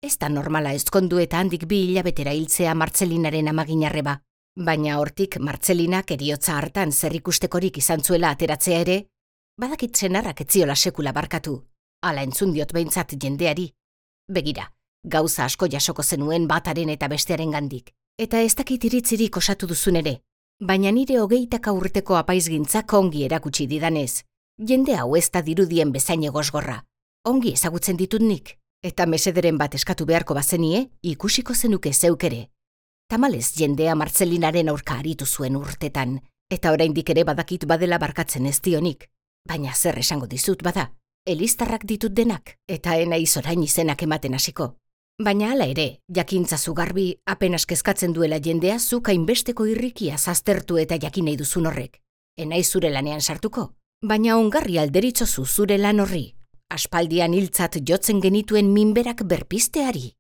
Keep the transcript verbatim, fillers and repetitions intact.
Ez da normala ezkondu eta handik bi hilabetera hiltzea Martzelinaren amaginarreba, baina hortik Martzelinak eriotza hartan zer ikustekorik izan zuela ateratzea ere, badakit senarrak etziola sekula barkatu, hala entzun diot behintzat jendeari. Begira, gauza asko jasoko zenuen bataren eta bestearen gandik, eta ez dakit iritzirik osatu duzun ere, baina nire hogeitaka urteko apaizgintzak ongi erakutsi didanez, jende hau ez da dirudien bezain egosgorra, ongi ezagutzen ditut nik. Eta mesederen bat eskatu beharko bazenie, ikusiko zenuke zeuk ere. Tamalez jendea Martzelinaren aurka aritu zuen urtetan, eta oraindik ere badakit badela barkatzen ez dionik. Baina zer esango dizut bada, eliztarrak ditut denak, eta enaiz orain izenak ematen hasiko. Baina hala ere, jakintzazu garbi, apenas kezkatzen duela jendea zuk hainbesteko irrikia zaztertu eta jakin nahi duzun horrek. Enaiz zure lanean sartuko, baina ongarri alderitzozu zure lan horri. Aspaldian hiltzat jotzen genituen minberak berpizteari.